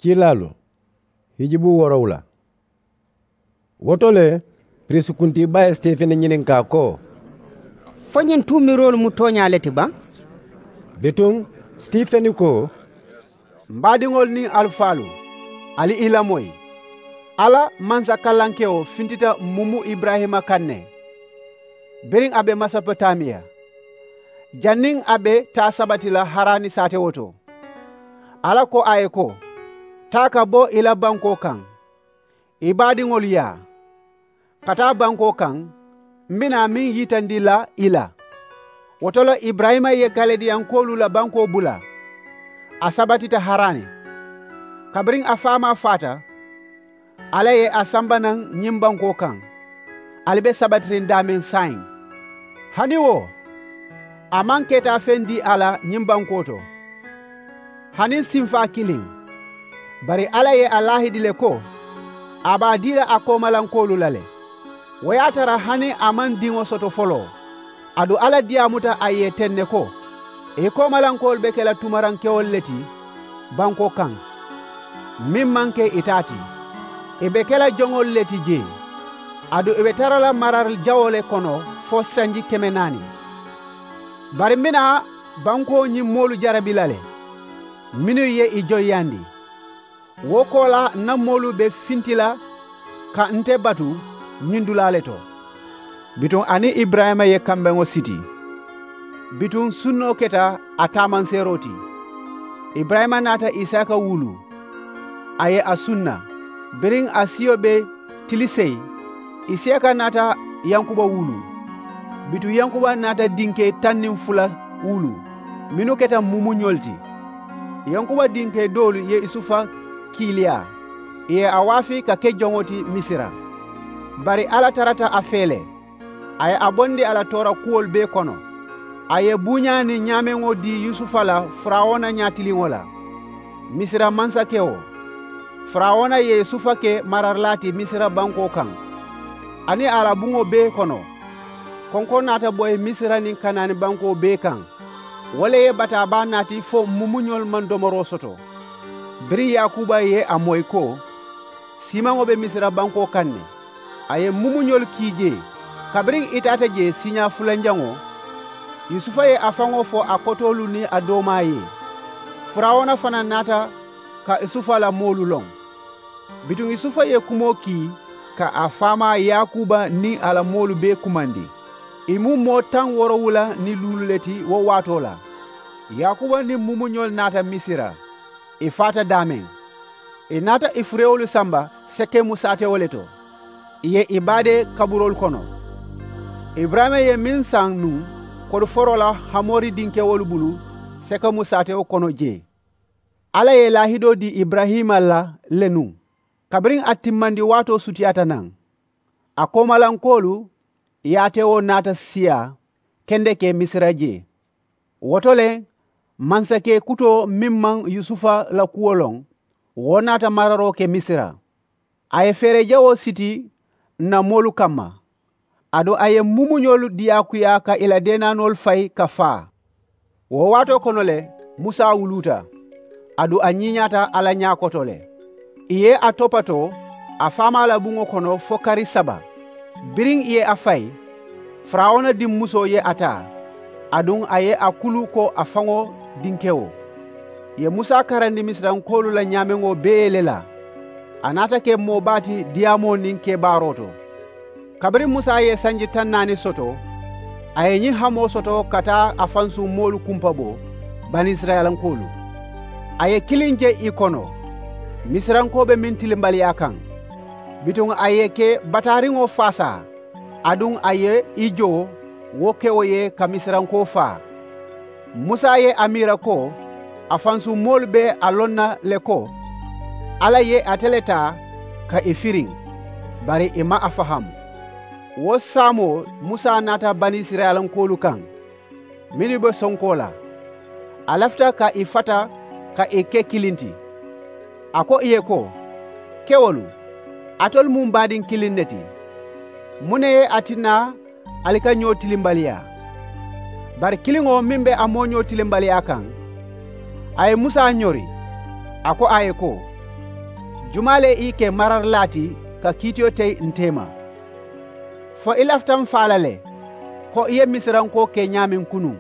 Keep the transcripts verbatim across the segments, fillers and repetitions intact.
Kiilaalu, hijibu woorowula. Wo to le, piriisi kuntii baa ye sitefeni ñininkaa ko, fo ñiŋ tuumiroolu mu tooñaa le ti baŋ? Bituŋ, sitefeni ko, m baadiŋolu niŋ alifaalu, ali i lamoyi. Alla mansa kallankewo fintita mumu iburayima kaŋ ne, biriŋ a be mesopotamiya, janniŋ a be taa sabati la harani saatewo to. Alla ko a ye ko, taa ka bo i la bankoo kaŋ, i baadiŋolu yaa, ka taa bankoo kaŋ m be naa meŋ yitandi la i la. Wo to le iburayima ye kalidiyankoolu la bankoo bula, a sabatita harani. Kabiriŋ a faamaa faata, alla ye a samba naŋ ñiŋ bankoo kaŋ. Ali be sabatiriŋ daameŋ saayiŋ. Hani wo, a maŋ ketaafeŋ dii a la ñiŋ bankoo to, hani sinfaa kiliŋ. Bari alla ye a laahidi le ko, a be a dii la a koomalankoolu la le. Wo ye a tara hani a maŋ diŋo soto foloo, aduŋ alla diyaamuta a ye teŋ ne ko, i koomalankoolu be ke la tumarankewolu le ti bankoo kaŋ, meŋ maŋ ke i taa ti. I be ke la joŋolu le ti jee, aduŋ i be tara la mara jawoo le kono fo sanji keme naani. Bari m be naa bankoo ñiŋ moolu jarabi la le, mennu ye i joyiyandi. Wo koolaa n na moolu be finti la ka nte batu ñiŋ dulaa le to. Bituŋ a niŋ iburayima ye kambeŋo siti. Bituŋ sunnoo keta a taamanseeroo ti. Iburayima naata isaaka wulu, a ye a sunna. Biriŋ a siyo be tili seyi, isaaka naata yankuba wulu. Bituŋ yankuba naata dinkee taŋ niŋ fula wulu, mennu keta mumuñolu ti. Yankuba dinkee doolu ye yusufa kiiliyaa, ì ye a waafi ka ke joŋo ti misira. Bari alla tarata a fee le, a ye a bondi a la toora kuwolu bee kono. A ye buuñaa niŋ ñaameŋo dii yusufa la farawuna ñaatiliŋo la, misira mansakewo. Farawuna ye yusufa ke maralaa ti misira bankoo kaŋ, aniŋ a la buŋo bee kono. Konkoŋ naata boyi misira niŋ kanaani bankoo bee kaŋ. Wo le ye bataa baa naati fo mumuñolu maŋ domoroo soto. Biriŋ yaakuba ye a moyi ko, siimaŋo be misira bankoo kaŋ ne. A ye mumuñolu kii jee. Kabiriŋ i taata jee siiñaa fulanjaŋo, yusufa ye a faŋo fo a kotoolu niŋ a doomaa ye. Farawuna fanaa naata ka yusufa la moolu loŋ. Bituŋ yusufa ye kumoo kii ka a faamaa yaakuba niŋ a la moolu bee kumandi. Ì mu moo taŋ woorowula niŋ luulu le ti wo waatoo la. Yaakuba niŋ mumuñolu naata misira. Ì faata daameŋ. Ì naata ì furewolu samba sekemu saatewo le to. Ì ye ì baadee kaburoolu kono. Iburayima ye meŋ saŋ nuŋ kodiforoo la hamori dinkewolu bulu sekemu saatewo kono jee. Alla ye laahidoo dii iburayima la le nuŋ. Kabiriŋ a timmandi waatoo sutiyaata naŋ, a koomalankoolu yaatewo naata siyaa kendeke misira jee. Wo to le, mansakee kutoo meŋ maŋ yusufa la kuwo loŋ, wo naata mararoo ke misira. A ye feere jawoo siti n na moolu kamma. Aduŋ a ye mumuñolu diyaakuyaa ka ì la deenaanoolu fayi ka faa. Wo waatoo kono le, musa wuluuta. Aduŋ a ñiiñaata alla ñaa koto le. Ì ye a topatoo a faamaa la buŋo kono fo kari saba. Biriŋ ì ye a fayi, farawuna dimmusoo ye a taa. Aduŋ a ye a kulu ko a faŋo dinkewo. Ì ye musa karandi misirankoolu la ñaameŋo bee le la. A naata ke moo baa ti diyaamoo niŋ kebaaroo to. Kabiriŋ musa ye sanji taŋ naani soto, a ye ñiŋ hamoo soto ka taa a fansuŋ moolu kumpabo, banisirayilankoolu. A ye kiliŋ je ì kono, misirankoo be meŋ tilimbaliyaa kaŋ. Bituŋ a ye ke bataariŋo faasaa, aduŋ a ye i joo wo kewo ye ka misirankoo faa. Musa ye a miira ko a fansuŋ moolu be a loŋ na le ko alla ye ate le taa ka ì firiŋ. Bari ì maŋ a fahaamu. Wo saamoo musa naata banisirayilankoolu kaŋ, mennu be sonkoo la. A lafita ka ì fata ka ì ke kiliŋ ti. A ko ì ye ko, kewolu, alitolu mu m baadiŋ kiliŋ ne ti. Muŋ ne ye a tinna ali ka ñoo tilimbaliyaa? Bari kiliŋo meŋ be a mooñoo tilimbaliyaa kaŋ, a ye musa ñori. A ko a ye ko, Jumaa le i ke mararilaa ti ka kiitiyo teyi nte ma? Fo i lafita m faa la le ko i ye misirankoo ke ñaameŋ kunuŋ?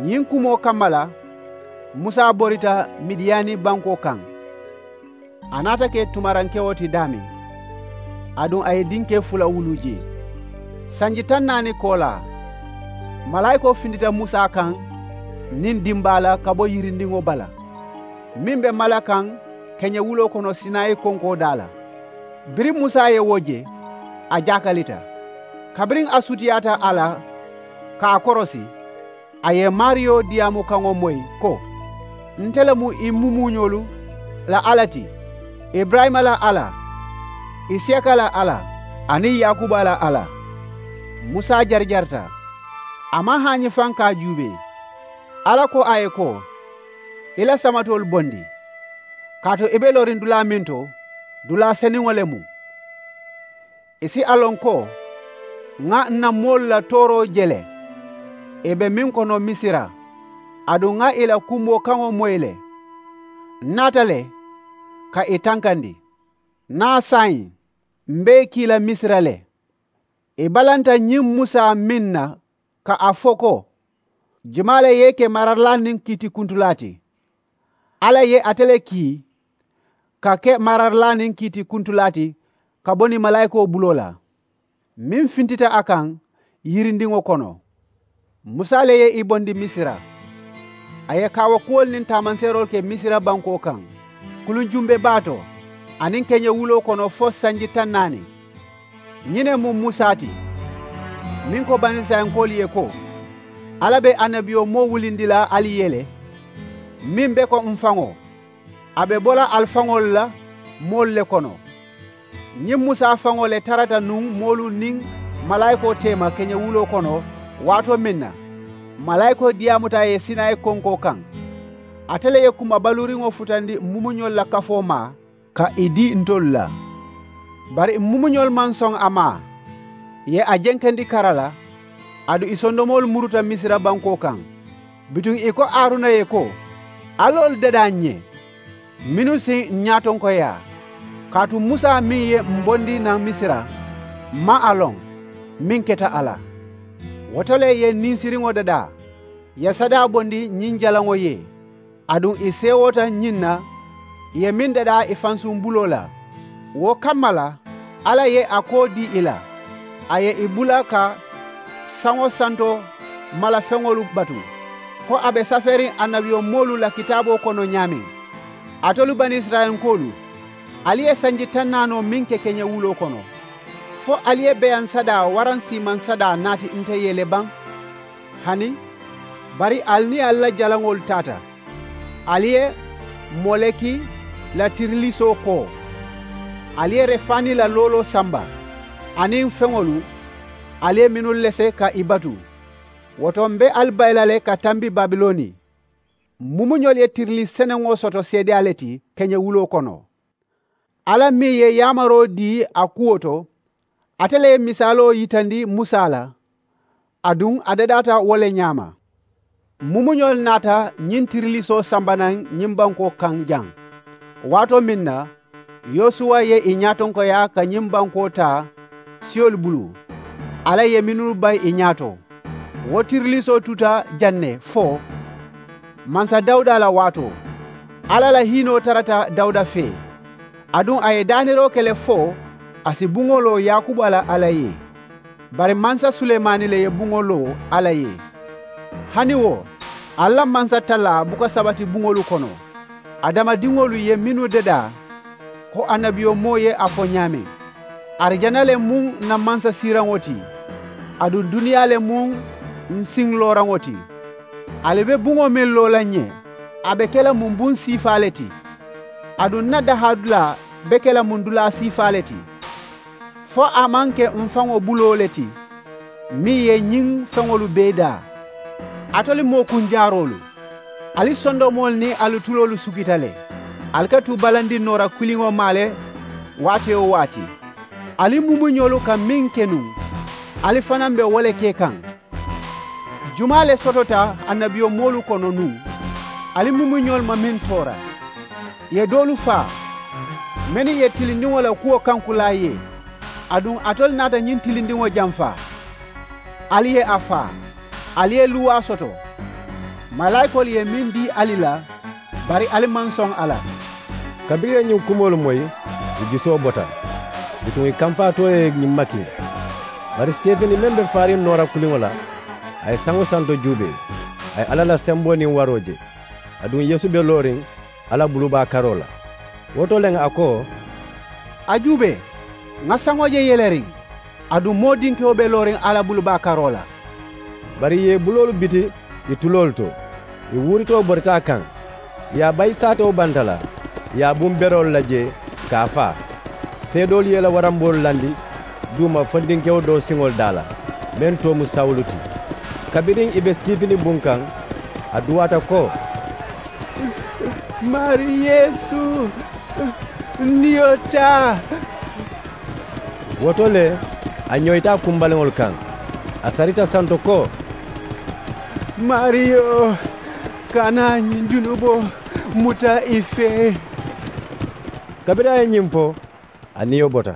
Ñiŋ kumoo kamma la musa borita midiyani bankoo kaŋ. A naata ke tumarankewo ti daameŋ, aduŋ a ye dinkee fula wuluu jee. Sanji taŋ naani koolaa malaayikoo fintita musa kaŋ niŋ dimbaa la ka bo yirindiŋo bala, meŋ be mala kaŋ keñewuloo kono sinayi konkoo daa la. Biriŋ musa ye wo je, a jaakalita. Kabiriŋ a sutiyaata a la ka a korosi, a ye maariyo diyaamu kaŋo moyi ko, nte le mu i mumuuñolu la alla ti, iburayima la alla, isiyaka la alla, aniŋ yaakuba la alla. Musa jarijarita, a maŋ haañi faŋ ka a juubee. Alla ko a ye ko, i la samatoolu bondi, kaatu i be looriŋ dulaa meŋ to, dulaa senuŋo le mu. I si a loŋ ko ŋa ǹ na moolu la tooroo je le, i be meŋ kono misira, aduŋ ŋa i la kumboo kaŋo moyi le. Ǹ naata le ka i tankandi. Naa saayiŋ, m̀ be i kii la misira le. I balanta ñiŋ musa meŋ na ka a fo ko, jumaa le ye i ke mararilaa niŋ kiitikuntulaa ti? Alla ye ate le kii ka ke mararilaa niŋ kiitikuntulaa ti ka bo niŋ malaayikoo buloo la, meŋ fintita a kaŋ yirindiŋo kono. Musa le ye i bondi misira. A ye kaawakuwolu niŋ taamanseeroolu ke misira bankoo kaŋ, kuluŋ jumbe baa to, aniŋ keñewuloo kono fo sanji taŋ naani. Ñiŋ ne mu musa ti, meŋ ko banisirayilankoolu ye ko, alla be annabiyomoo wulindi la ali ye le, meŋ be ko m̀ faŋo, a be bo la ali faŋolu la moolu le kono. Ñiŋ musa faŋo le tarata nuŋ moolu niŋ malaayikoo teema keñewuloo kono, waatoo meŋ na malaayikoo diyaamuta a ye sinayi konkoo kaŋ. Ate le ye kuma baluuriŋo futandi m̀ mumuñolu la kafoo ma ka i dii ntolu la. Bari m̀ mumuñolu maŋ soŋ a ma, ì ye a jenkandi kara la, aduŋ ì sondomoolu muruta misira bankoo kaŋ. Bituŋ ì ko haruna ye ko, alloolu dadaa ǹ ye, mennu si ǹ ñaatonkoyaa. Kaatu musa meŋ ye m̀ bondi naŋ misira, m̀ maŋ a loŋ, meŋ keta a la. Wo to le ì ye ninsiriŋo dadaa, ì ye sadaa bondi ñiŋ jalaŋo ye. Aduŋ ì seewoota ñiŋ na, ì ye meŋ dadaa ì fansuŋ buloo la. Wo kamma la, alla ye a koo dii ì la, a ye ì bula ka saŋo santo mala feŋolu batu, ko a be safeeriŋ annabiyomoolu la kitaaboo kono ñaameŋ. Alitolu banisirayilankoolu, ali ye sanji taŋ naanoo meŋ ke keñewuloo kono, fo ali ye beyaŋ sadaa waraŋ siimaŋ sadaa naati nte ye le baŋ? Hani, bari ali niŋ ali la jalaŋolu taata, ali ye moleki la tirilisoo koo, ali ye refaani la looloo samba, aniŋ feŋolu ali ye mennu lese ka ì batu. Wo to m̀ be ali bayi la le ka tambi babiloni. M̀ mumuñolu ye tirilii seneŋo soto seedeyaa le ti keñewuloo kono. Alla meŋ ye yaamaroo dii a kuwo to, ate le ye misaaloo yitandi musa la, aduŋ a dadaata wo le ñaama. M̀ mumuñolu naata ñiŋ tirilisoo samba naŋ ñiŋ bankoo kaŋ jaŋ. Waatoo meŋ na, yosuwa ye ì ñaatonkoyaa ka ñiŋ bankoo taa siyolu bulu, alla ye mennu bayi ì ñaato. Wo tirilisoo tuta jaŋ ne fo mansa dawuda la waatoo. Alla la hiinoo tarata dawuda fee, aduŋ a ye daaniroo ke le fo a si buŋo loo yaakuba la alla ye. Bari mansa sulemaani le ye buŋo loo alla ye. Hani wo, ali la mansa talaa buka sabati buŋolu kono. Adamadiŋolu ye mennu dadaa, ko annabiyomoo ye a fo ñaameŋ, arijana le mu ǹ na mansasiiraŋo ti, aduŋ duniyaa le mu ǹ siŋ looraŋo ti. Ali be buŋo meŋ loo la ǹ ye, a be ke la mu m̀ buŋ siifaa le ti, aduŋ ǹ na dahaadulaa be ke la mu m̀ dulaa siifaa le ti. Fo a maŋ ke m̀ faŋo buloo le ti, meŋ ye ñiŋ feŋolu bee daa. Alitolu moo kunjaaroolu, ali sondomoolu niŋ ali tuloolu sukita le. Ali ka tu balandiŋ noora kiliŋo maa le waati-wo-waati. Ali mumuñolu ka meŋ ke nuŋ, ali fanaa be wo le ke kaŋ. Jumaa le sotota annabiyomoolu kono nuŋ, ali mumuñolu ma meŋ toora? Ì ye doolu faa, Mennu ye tilindiŋo la kuwo kankulaa ye, aduŋ alitolu naata ñiŋ tilindiŋo jamfaa. Ali ye a faa, ali ye luwaa soto. Malaayikoolu ye meŋ dii ali la, bari ali maŋ soŋ a la. Kabiriŋ ì ye ñiŋ kumoolu moyi, ì jusoo bota. Bituŋ ì kamfaatoo ye ñiŋ makiŋ. Bari sitefini meŋ be faariŋ noora kuliŋo la, a ye saŋo santo juubee, a ye alla la semboo niŋ waroo je. Aduŋ yeesu be looriŋ alla bulubaa karoo la. Wo to leŋ a ko, a juubee, ŋa saŋo je yeleriŋ. Aduŋ moo dinkewo be looriŋ alla bulubaa karoo la. Bari ì ye ì buloolu biti ì tuloolu to, ì wuuritoo borita a kaŋ. Ì ye a bayi saatewo banta la, ì ye a buŋ beroolu la jee ka a faa. Seedoolu ye ì la waramboolu landi duuma fo dinkewo doo siŋolu daa la, meŋ too mu sawulu ti. Kabiriŋ ì be sitifini buŋ kaŋ, a duwaata ko, maarii yeesu, niyo taa. Wo to le, a ñoyita a kumbaliŋolu kaŋ, a sarita santo ko, maariyo, kana ñiŋ junuboo muta ì fee. Kabiriŋ a ye ñiŋ fo, a niyo bota.